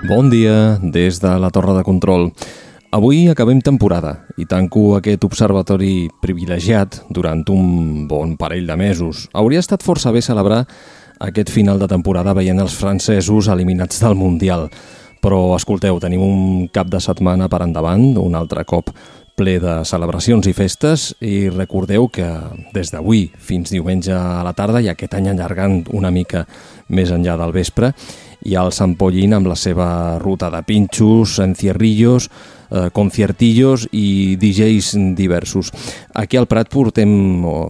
Bon dia des de la Torre de Control. Avui acabem temporada i tanco aquest observatori privilegiat durant un bon parell de mesos. Hauria estat força bé celebrar aquest final de temporada veient els francesos eliminats del Mundial. Però, escolteu, tenim un cap de setmana per endavant, un altre cop ple de celebracions i festes, i recordeu que des d'avui fins diumenge a la tarda i aquest any allargant una mica més enllà del vespre, hi ha el Sant Pollín amb la seva ruta de pinxos, encierrillos, conciertillos i DJs diversos. Aquí al Prat portem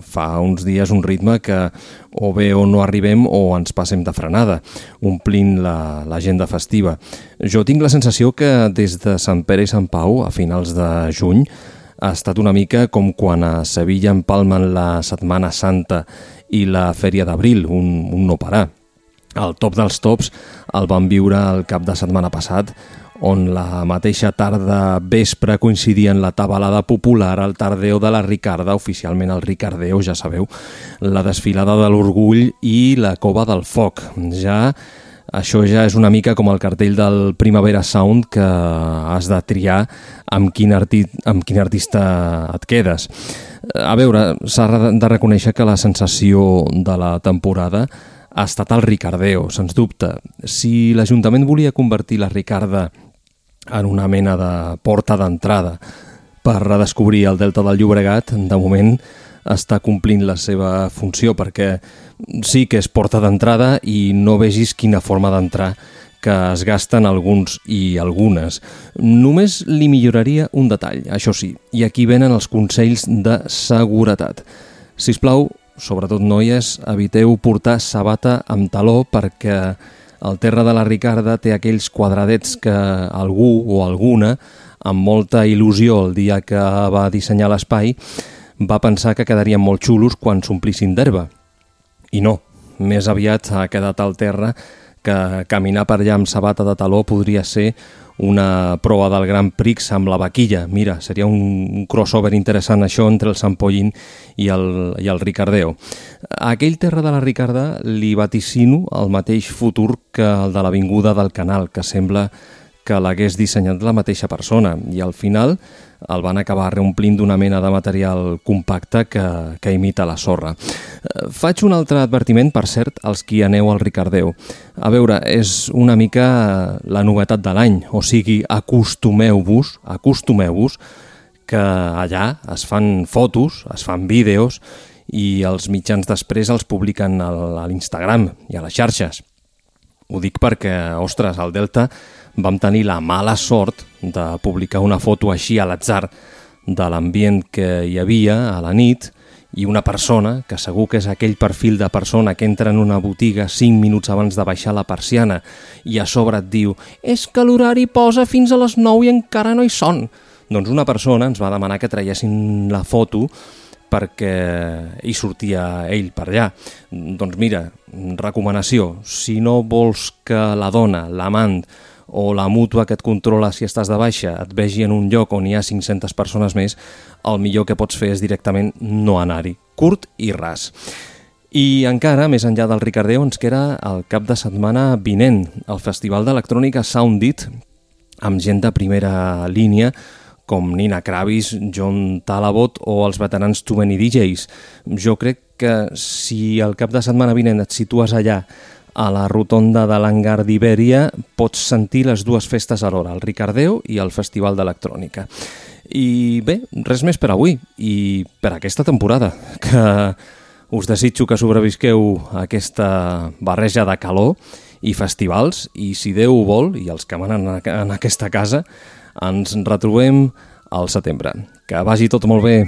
fa uns dies un ritme que o bé o no arribem o ens passem de frenada, omplint l'agenda festiva. Jo tinc la sensació que des de Sant Pere i Sant Pau, a finals de juny, ha estat una mica com quan a Sevilla empalmen la Setmana Santa i la Fèria d'Abril, un no parar. El top dels tops el vam viure el cap de setmana passat, on la mateixa tarda vespre coincidien la tabalada popular, el tardeo de la Ricarda, oficialment el Ricardeo, ja sabeu, la desfilada de l'Orgull i la Cova del Foc. Això ja és una mica com el cartell del Primavera Sound, que has de triar amb quin artista et quedes. A veure, s'ha de reconèixer que la sensació de la temporada ha estat el Ricardeo, sens dubte. Si l'Ajuntament volia convertir la Ricarda en una mena de porta d'entrada per redescobrir el Delta del Llobregat, de moment està complint la seva funció, perquè sí que és porta d'entrada i no vegis quina forma d'entrar que es gasten alguns i algunes. Només li milloraria un detall, això sí, i aquí venen els consells de seguretat. Sisplau, sobretot noies, eviteu portar sabata amb taló perquè el terra de la Ricarda té aquells quadradets que algú o alguna, amb molta il·lusió el dia que va dissenyar l'espai, va pensar que quedarien molt xulos quan s'omplissin d'herba. I no, més aviat ha quedat al terra que caminar per allà amb sabata de taló podria ser una proa del Grand Prix amb la vaquilla. Mira, seria un crossover interessant això entre el Sant Pollín i el Ricardeo. A aquell terra de la Ricarda li vaticino el mateix futur que el de l'Avinguda del Canal, que sembla que l'hagués dissenyat la mateixa persona, i al final el van acabar reomplint d'una mena de material compacte que imita la sorra. Faig un altre advertiment, per cert, als qui aneu al Ricardeo. A veure, és una mica la novetat de l'any, o sigui, acostumeu-vos que allà es fan fotos, es fan vídeos i els mitjans després els publiquen a l'Instagram i a les xarxes. Ho dic perquè, ostres, al Delta vam tenir la mala sort de publicar una foto així a l'atzar de l'ambient que hi havia a la nit i una persona, que segur que és aquell perfil de persona que entra en una botiga 5 minuts abans de baixar la persiana i a sobre et diu «És que l'horari posa fins a les 9 i encara no hi són». Doncs una persona ens va demanar que traiessin la foto perquè hi sortia ell per allà. Doncs mira, recomanació, si no vols que la dona, l'amant o la mútua que et controla si estàs de baixa et vegi en un lloc on hi ha 500 persones més, el millor que pots fer és directament no anar-hi. Curt i ras. I encara, més enllà del Ricardeo, ens queda el cap de setmana vinent, el Festival d'Electrònica Soundit, amb gent de primera línia, com Nina Kravis, John Talabot o els veterans Too Many DJs. Jo crec que si el cap de setmana vinent et situes allà a la rotonda de l'Hangar d'Ibèria, pots sentir les dues festes alhora, el Ricardeo i el Festival d'Electrònica. I bé, res més per avui i per aquesta temporada, que us desitjo que sobrevisqueu a aquesta barreja de calor i festivals, i si Déu ho vol, i els que manen en aquesta casa, ens retrobem al setembre. Que vagi tot molt bé.